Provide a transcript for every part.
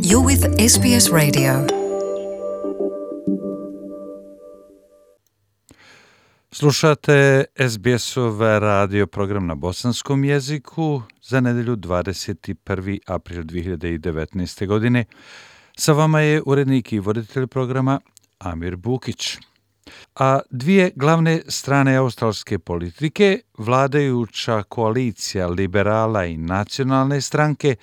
You're with SBS Radio. Slušate SBS-ov radio program na bosanskom jeziku za nedelju 21. april 2019. godine. Sa vama je urednik i voditelj programa Amir Bukić. A dvije glavne strane australske politike, vladajuća koalicija liberala i nacionalne stranke,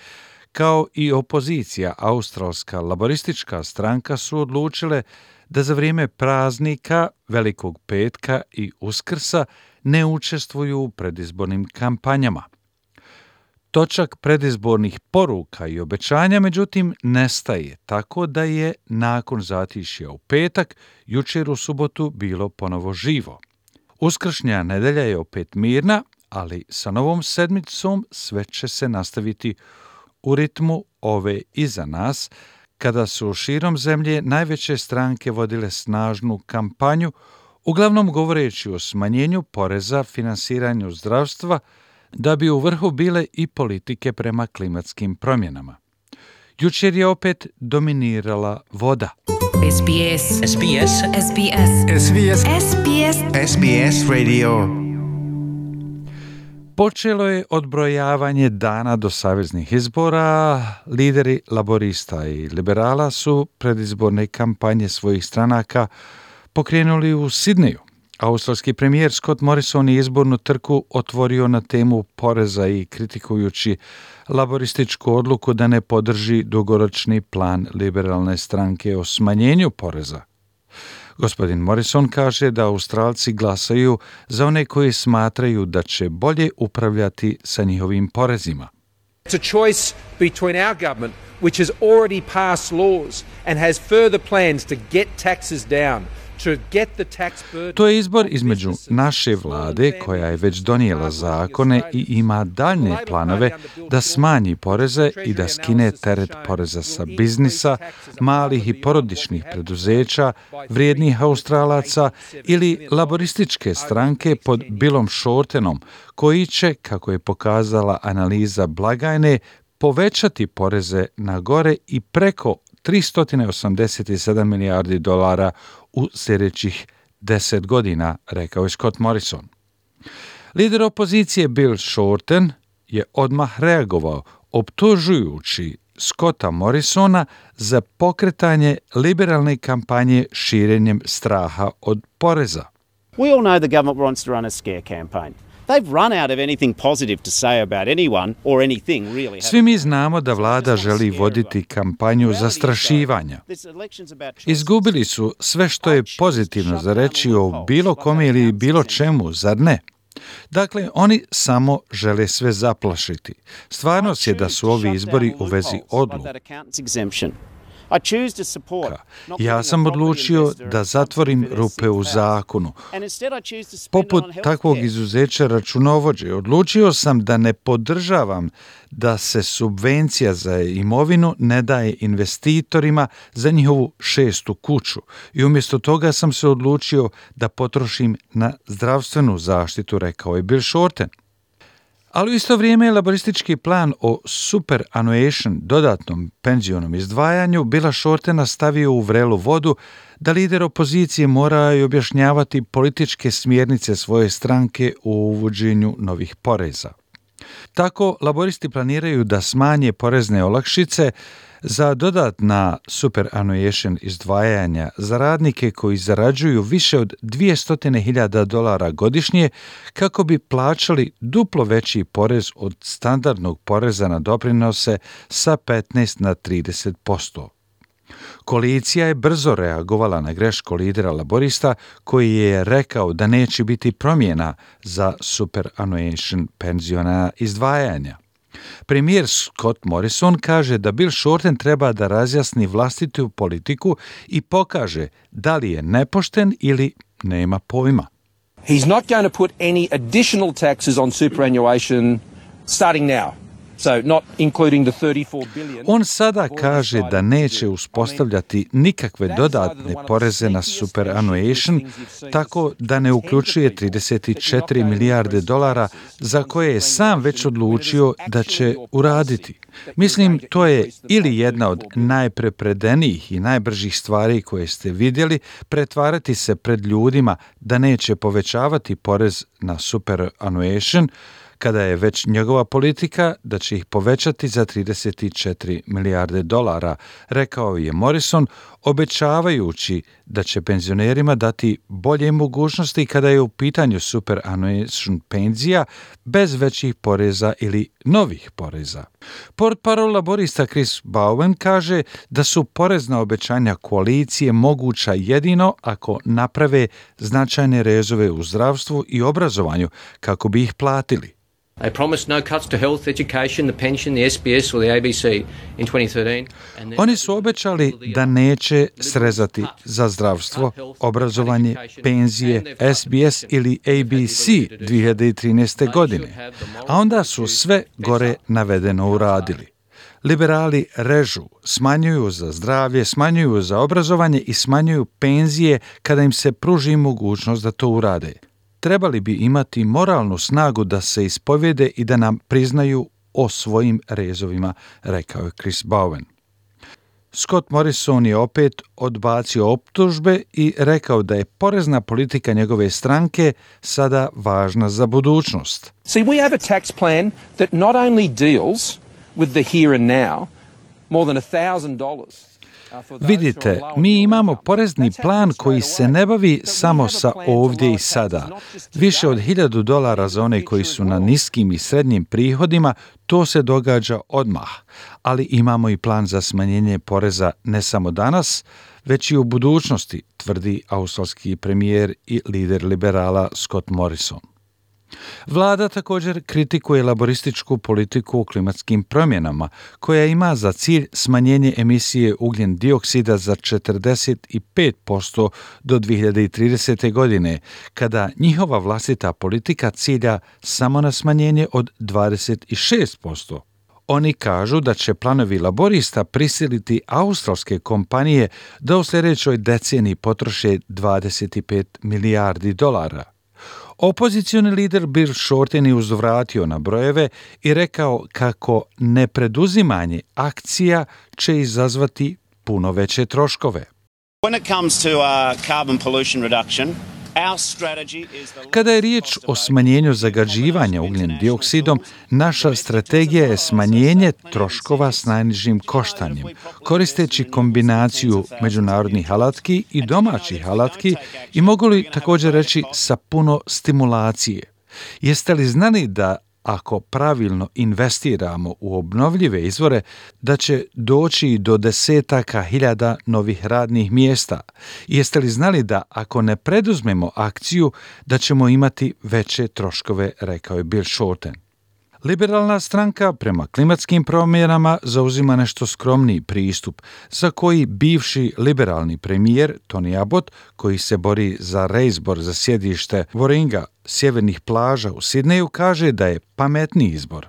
kao i opozicija australska laboristička stranka su odlučile da za vrijeme praznika, Velikog petka i Uskrsa ne učestvuju u predizbornim kampanjama. Točak predizbornih poruka i obećanja, međutim, nestaje, tako da je nakon zatišja u petak, jučer u subotu bilo ponovo živo. Uskršnja nedelja je opet mirna, ali sa novom sedmicom sve će se nastaviti u ritmu ove iza nas, kada su širom zemlje najveće stranke vodile snažnu kampanju, uglavnom govoreći o smanjenju poreza, finansiranju zdravstva, da bi u vrhu bile i politike prema klimatskim promjenama. Jučer je opet dominirala voda. SBS. SBS. SBS. SBS. SBS. SBS Radio. Počelo je odbrojavanje dana do saveznih izbora. Lideri laborista i liberala su predizborne kampanje svojih stranaka pokrenuli u Sidneju. Australski premijer Scott Morrison je izbornu trku otvorio na temu poreza i kritikujući laborističku odluku da ne podrži dugoročni plan liberalne stranke o smanjenju poreza. Gospodin Morrison kaže da Australci glasaju za one koji smatraju da će bolje upravljati sa njihovim porezima. It's a choice between our government, which has already passed laws and has further plans to get taxes down. To je izbor između naše vlade, koja je već donijela zakone i ima daljne planove da smanji poreze i da skine teret poreza sa biznisa, malih i porodičnih preduzeća, vrijednih Australaca ili laborističke stranke pod Billom Shortenom, koji će, kako je pokazala analiza blagajne, povećati poreze na gore i preko 387 milijardi dolara u sljedećih 10 godina, rekao je Scott Morrison. Lider opozicije Bill Shorten je odmah reagovao, optužujući Scotta Morrisona za pokretanje liberalne kampanje širenjem straha od poreza. We all know the government wants to run a scare campaign. They've run out of anything positive to say about anyone or anything really. Svi mi znamo da vlada želi voditi kampanju zastrašivanja. Izgubili su sve što je pozitivno za reći o bilo kome ili bilo čemu, zar ne? Dakle, oni samo žele sve zaplašiti. Stvarnost je da su ovi izbori u vezi odluka. Ja sam odlučio da zatvorim rupe u zakonu. Poput takvog izuzeća računovođe, odlučio sam da ne podržavam da se subvencija za imovinu ne daje investitorima za njihovu 6. kuću i umjesto toga sam se odlučio da potrošim na zdravstvenu zaštitu, rekao je Bill Shorten. Ali u isto vrijeme laboristički plan o superannuation, dodatnom penzionom izdvajanju, Billa Shortena stavio u vrelu vodu da lider opozicije mora i objašnjavati političke smjernice svoje stranke u uvođenju novih poreza. Tako, laboristi planiraju da smanje porezne olakšice za dodatna superannuation izdvajanja za radnike koji zarađuju više od 200.000 dolara godišnje kako bi plaćali duplo veći porez od standardnog poreza na doprinose sa 15 na 30%. Koalicija je brzo reagovala na grešku lidera laborista koji je rekao da neće biti promjena za superannuation penziona izdvajanja. Premijer Scott Morrison kaže da Bill Shorten treba da razjasni vlastitu politiku i pokaže da li je nepošten ili nema pojma. He's not going to put any additional taxes on superannuation starting now. On sada kaže da neće uspostavljati nikakve dodatne poreze na superannuation, tako da ne uključuje 34 milijarde dolara za koje je sam već odlučio da će uraditi. Mislim, to je ili jedna od najprepredenijih i najbržih stvari koje ste vidjeli, pretvarati se pred ljudima da neće povećavati porez na superannuation, kada je već njegova politika da će ih povećati za 34 milijarde dolara, rekao je Morrison, obećavajući da će penzionerima dati bolje mogućnosti kada je u pitanju superannuation penzija bez većih poreza ili novih poreza. Portparol laborista Chris Bowen kaže da su porezna obećanja koalicije moguća jedino ako naprave značajne rezove u zdravstvu i obrazovanju kako bi ih platili. They promised no cuts to health, education, the pension, the SBS or the ABC in 2013. Oni su obećali da neće srezati za zdravstvo, obrazovanje, penzije, SBS ili ABC 2013. godine, a onda su sve gore navedeno uradili. Liberali režu, smanjuju za zdravlje, smanjuju za obrazovanje i smanjuju penzije kada im se pruži mogućnost da to urade. Trebali bi imati moralnu snagu da se ispovjede i da nam priznaju o svojim rezovima, rekao je Chris Bowen. Scott Morrison je opet odbacio optužbe i rekao da je porezna politika njegove stranke sada važna za budućnost. See, we have a tax plan that not only deals with the here and now, more than $1,000. Vidite, mi imamo porezni plan koji se ne bavi samo sa ovdje i sada. Više od $1,000 za one koji su na niskim i srednjim prihodima, to se događa odmah. Ali imamo i plan za smanjenje poreza ne samo danas, već i u budućnosti, tvrdi australski premijer i lider liberala Scott Morrison. Vlada također kritikuje laborističku politiku u klimatskim promjenama, koja ima za cilj smanjenje emisije ugljen dioksida za 45% do 2030. godine, kada njihova vlastita politika cilja samo na smanjenje od 26%. Oni kažu da će planovi laborista prisiliti australske kompanije da u sljedećoj deceniji potroše 25 milijardi dolara. Opozicioni lider Bill Shorten je uzvratio na brojeve i rekao kako nepreduzimanje akcija će izazvati puno veće troškove. Kada je riječ o smanjenju zagađivanja ugljen dioksidom, naša strategija je smanjenje troškova s najnižim koštanjem, koristeći kombinaciju međunarodnih alatki i domaćih alatki i mogu li također reći sa puno stimulacije. Jeste li znali da ako pravilno investiramo u obnovljive izvore, da će doći do desetaka hiljada novih radnih mjesta? Jeste li znali da ako ne preduzmemo akciju, da ćemo imati veće troškove, rekao je Bill Shorten. Liberalna stranka prema klimatskim promjenama zauzima nešto skromniji pristup, za koji bivši liberalni premijer Tony Abbott, koji se bori za reizbor za sjedište Warringa, sjevernih plaža u Sidneju, kaže da je pametniji izbor.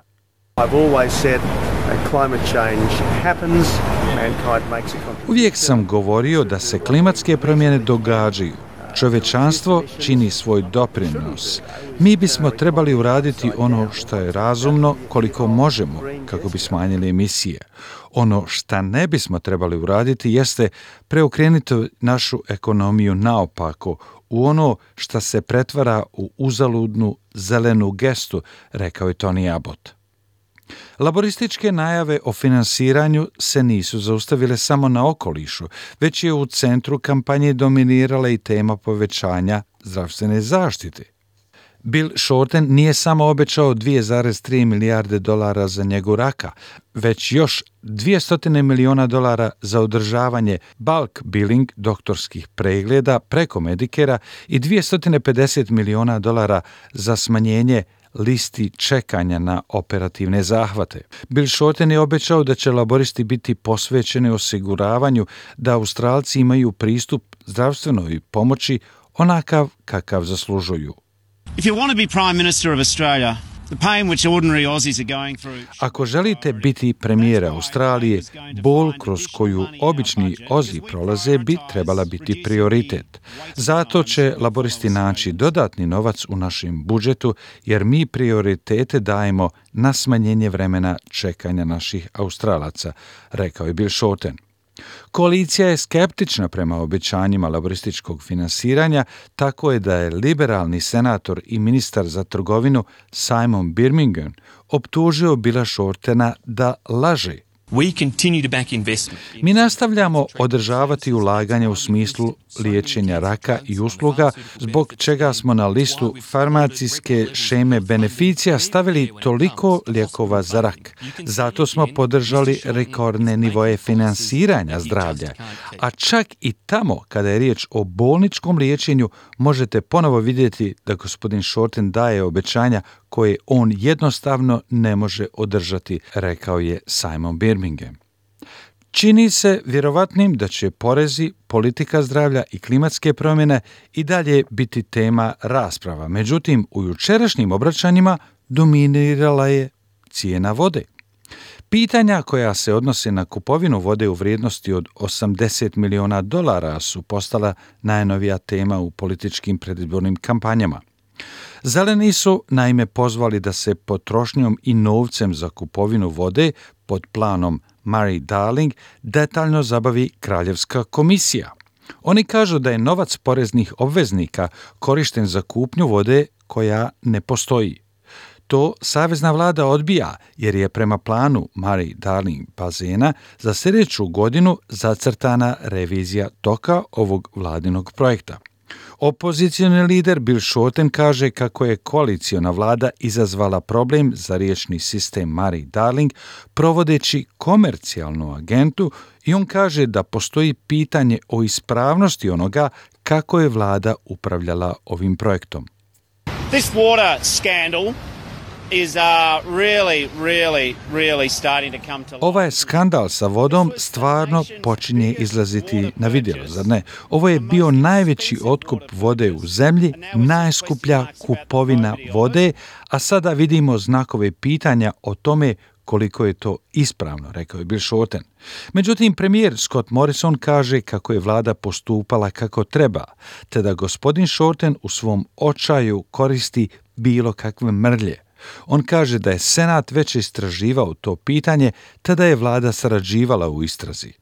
Uvijek sam govorio da se klimatske promjene događaju. Čovječanstvo čini svoj doprinos. Mi bismo trebali uraditi ono što je razumno koliko možemo kako bi smanjili emisije. Ono što ne bismo trebali uraditi jeste preokrenuti našu ekonomiju naopako u ono što se pretvara u uzaludnu zelenu gestu, rekao je Tony Abbott. Laborističke najave o finansiranju se nisu zaustavile samo na okolišu, već je u centru kampanje dominirala i tema povećanja zdravstvene zaštite. Bill Shorten nije samo obećao 2,3 milijarde dolara za njegu raka, već još $200 miliona za održavanje bulk billing doktorskih pregleda preko Medicare-a i $250 miliona za smanjenje listi čekanja na operativne zahvate. Bill Shorten je obećao da će laboristi biti posvećeni osiguravanju da Australci imaju pristup zdravstvenoj pomoći onakav kakav zaslužuju. If you want to be Prime Minister of Australia, Ako želite biti premijer Australije, bol kroz koju obični Ozi prolaze bi trebala biti prioritet. Zato će laboristi naći dodatni novac u našem budžetu, jer mi prioritete dajemo na smanjenje vremena čekanja naših Australaca, rekao je Bill Shorten. Koalicija je skeptična prema obećanjima laborističkog finansiranja, tako je da je liberalni senator i ministar za trgovinu Simon Birmingham optužio Billa Shortena da laže. Mi nastavljamo održavati ulaganje u smislu liječenja raka i usluga, zbog čega smo na listu farmacijske šeme beneficija stavili toliko lijekova za rak. Zato smo podržali rekordne nivoje finansiranja zdravlja. A čak i tamo, kada je riječ o bolničkom liječenju, možete ponovo vidjeti da gospodin Shorten daje obećanja koje on jednostavno ne može održati, rekao je Simon Birmingham. Čini se vjerovatnim da će porezi, politika zdravlja i klimatske promjene i dalje biti tema rasprava. Međutim, u jučerašnjim obraćanjima dominirala je cijena vode. Pitanja koja se odnose na kupovinu vode u vrijednosti od $80 milijuna su postala najnovija tema u političkim predizbornim kampanjama. Zeleni su naime pozvali da se potrošnjom i novcem za kupovinu vode pod planom Murray-Darling detaljno zabavi Kraljevska komisija. Oni kažu da je novac poreznih obveznika korišten za kupnju vode koja ne postoji. To savezna vlada odbija jer je prema planu Murray-Darling bazena za sljedeću godinu zacrtana revizija toka ovog vladinog projekta. Opozicioni lider Bill Shorten kaže kako je koaliciona vlada izazvala problem za riječni sistem Murray-Darling provodeći komercijalnu agentu i on kaže da postoji pitanje o ispravnosti onoga kako je vlada upravljala ovim projektom. This water scandal is really starting to come to light. Ovaj skandal sa vodom stvarno počinje izlaziti na vidjelo, zar ne? Ovo je bio najveći otkup vode u zemlji, najskuplja kupovina vode, a sada vidimo znakove pitanja o tome koliko je to ispravno, rekao je Bill Shorten. Međutim, premijer Scott Morrison kaže kako je vlada postupala kako treba, te da gospodin Shorten u svom očaju koristi bilo kakve mrlje. On kaže da je Senat već istraživao to pitanje, te da je vlada sarađivala u istrazi.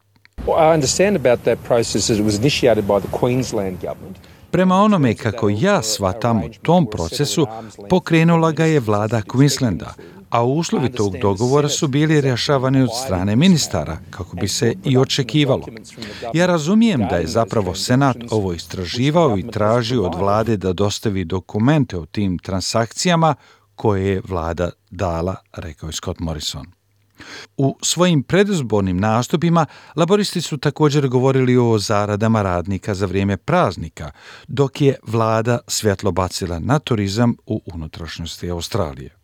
Prema onome kako ja shvatam u tom procesu, pokrenula ga je vlada Queenslanda, a uslovi tog dogovora su bili rješavani od strane ministara, kako bi se i očekivalo. Ja razumijem da je zapravo Senat ovo istraživao i tražio od vlade da dostavi dokumente o tim transakcijama koje je vlada dala, rekao je Scott Morrison. U svojim predizbornim nastupima laboristi su također govorili o zaradama radnika za vrijeme praznika, dok je vlada svjetlo bacila na turizam u unutrašnjosti Australije.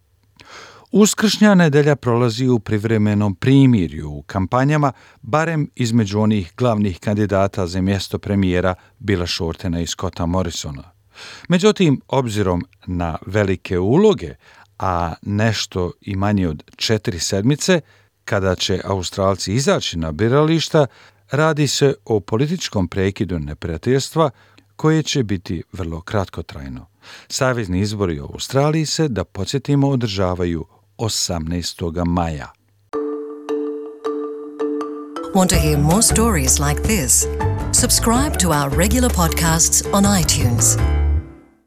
Uskršnja nedelja prolazi u privremenom primirju u kampanjama, barem između onih glavnih kandidata za mjesto premijera Billa Shortena i Scotta Morrisona. Međutim, obzirom na velike uloge, a nešto i manje od 4 sedmice, kada će Australci izaći na birališta, radi se o političkom prekidu neprijateljstva koje će biti vrlo kratkotrajno. Savezni izbori u Australiji se, da podsjetimo, održavaju 18. maja. Want to hear more stories like this? Subscribe to our regular podcasts on iTunes.